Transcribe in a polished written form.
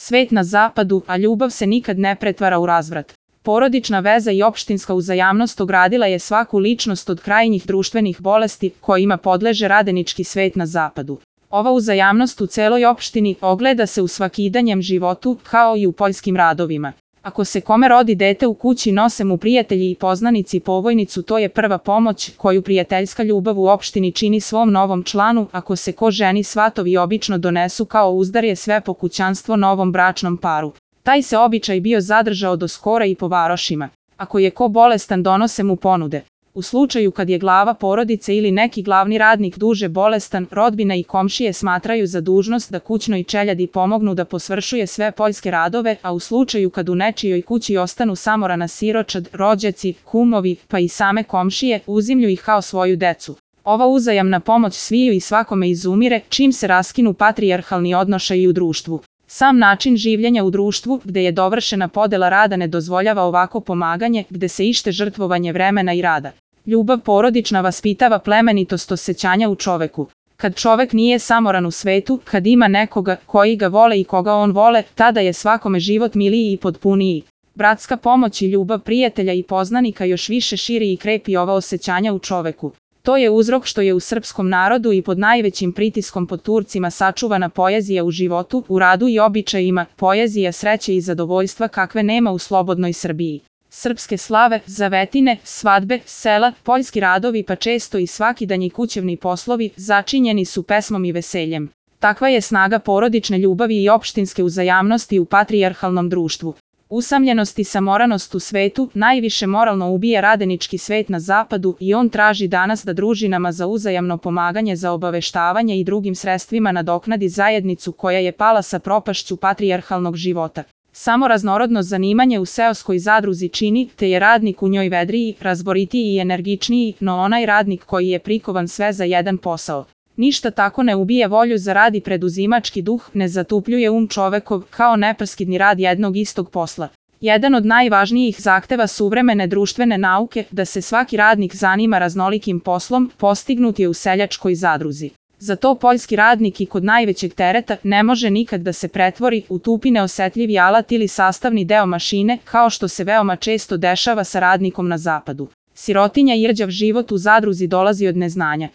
Svet na zapadu, a ljubav se nikad ne pretvara u razvrat. Porodična veza i opštinska uzajamnost ogradila je svaku ličnost od krajnjih društvenih bolesti kojima podleže radenički svet na zapadu. Ova uzajamnost u celoj opštini ogleda se u svakidanjem životu, kao i u poljskim radovima. Ako se kome rodi dete u kući, nose mu prijatelji i poznanici povojnicu, to je prva pomoć koju prijateljska ljubav u opštini čini svom novom članu. Ako se ko ženi, svatovi obično donesu kao uzdarje sve po kućanstvo novom bračnom paru. Taj se običaj bio zadržao do skora i po varošima. Ako je ko bolestan, donose mu ponude. U slučaju kad je glava porodice ili neki glavni radnik duže bolestan, rodbina i komšije smatraju za dužnost da kućnoj čeljadi pomognu da posvršuje sve poljske radove, a u slučaju kad u nečijoj kući ostanu samorana siročad, rođaci, kumovi, pa i same komšije, uzimlju ih kao svoju decu. Ova uzajamna pomoć sviju i svakome izumire, čim se raskinu patrijarhalni odnošaji u društvu. Sam način življenja u društvu, gde je dovršena podela rada, ne dozvoljava ovako pomaganje, gde se ište žrtvovanje vremena i rada. Ljubav porodična vaspitava plemenitost osećanja u čoveku. Kad čovek nije samoran u svetu, kad ima nekoga koji ga vole i koga on vole, tada je svakome život miliji i potpuniji. Bratska pomoć i ljubav prijatelja i poznanika još više širi i krepi ova osećanja u čoveku. To je uzrok što je u srpskom narodu i pod najvećim pritiskom pod Turcima sačuvana poezija u životu, u radu i običajima, poezija sreće i zadovoljstva kakve nema u slobodnoj Srbiji. Srpske slave, zavetine, svadbe, sela, poljski radovi pa često i svakidanji kućevni poslovi začinjeni su pesmom i veseljem. Takva je snaga porodične ljubavi i opštinske uzajamnosti u patrijarhalnom društvu. Usamljenost i samoranost u svetu najviše moralno ubija radenički svet na zapadu i on traži danas da družinama za uzajamno pomaganje, za obaveštavanje i drugim sredstvima nadoknadi zajednicu koja je pala sa propašću patrijarhalnog života. Samo raznorodno zanimanje u seoskoj zadruzi čini, te je radnik u njoj vedriji, razboritiji i energičniji, no onaj radnik koji je prikovan sve za jedan posao. Ništa tako ne ubija volju za rad i preduzimački duh, ne zatupljuje čovekov, kao nepreskidni rad jednog istog posla. Jedan od najvažnijih zahteva suvremene društvene nauke, da se svaki radnik zanima raznolikim poslom, postignut je u seljačkoj zadruzi. Zato poljski radnik i kod najvećeg tereta ne može nikad da se pretvori u tupi neosetljivi alat ili sastavni deo mašine, kao što se veoma često dešava sa radnikom na zapadu. Sirotinja i rđav život u zadruzi dolazi od neznanja.